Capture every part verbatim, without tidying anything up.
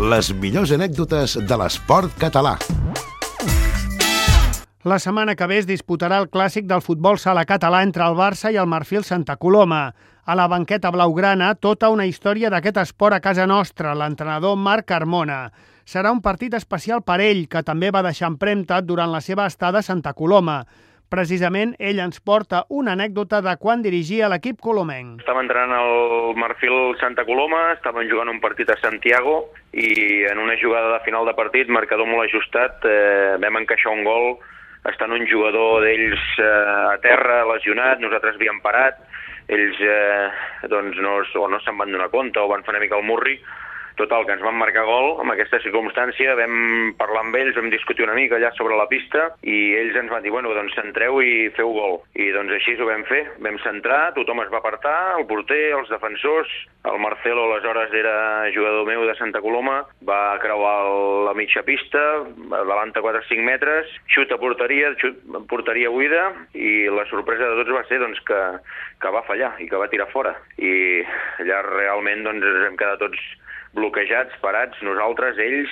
Les millors anècdotes de l'esport català. La setmana que ve es disputarà el clàssic del futbol sala català entre el Barça i el Marfil Santa Coloma. A la banqueta blaugrana, tota una història d'aquest esport a casa nostra, l'entrenador Marc Carmona. Serà un partit especial per ell, que també va deixar empremta durant la seva estada a Santa Coloma. Precisament, ell ens porta una anècdota de quan dirigia l'equip colomenc. Estava entrenant el Marfil Santa Coloma, estaven jugant un partit a Santiago i en una jugada de final de partit, marcador molt ajustat, eh, vam encaixar un gol estant un jugador d'ells eh, a terra, lesionat, nosaltres havíem parat, ells eh, doncs no, o no se'n van donar compte o van fer una mica el murri. Total, que ens van marcar gol. En aquesta circumstància vam parlar amb ells, vam discutir una mica allà sobre la pista i ells ens van dir, bueno, doncs centreu i feu gol. I doncs així ho vam fer. Vam centrar, tothom es va apartar, el porter, els defensors. El Marcelo, aleshores, era jugador meu de Santa Coloma, va creuar la mitja pista, davant a quatre o cinc metres, xut a porteria, xut, porteria buida, i la sorpresa de tots va ser doncs, que, que va fallar i que va tirar fora. I allà realment doncs, ens hem quedat tots bloquejats, parats, nosaltres, ells,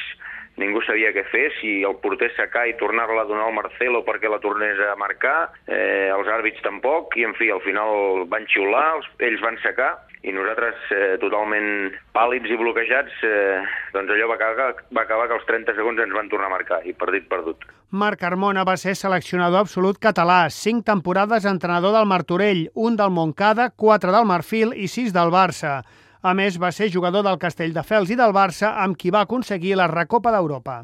ningú sabia què fer, si el porter sacar i tornar-la a donar al Marcelo perquè la tornés a marcar, eh, els àrbits tampoc, i en fi, al final van xiular, els, ells van sacar, i nosaltres eh, totalment pàl·lids i bloquejats, eh, doncs allò va acabar, va acabar que als trenta segons ens van tornar a marcar, i partit perdut. Marc Carmona va ser seleccionador absolut català, cinc temporades entrenador del Martorell, un del Montcada, quatre del Marfil i sis del Barça. A més, va ser jugador del Castelldefels i del Barça, amb qui va aconseguir la Recopa d'Europa.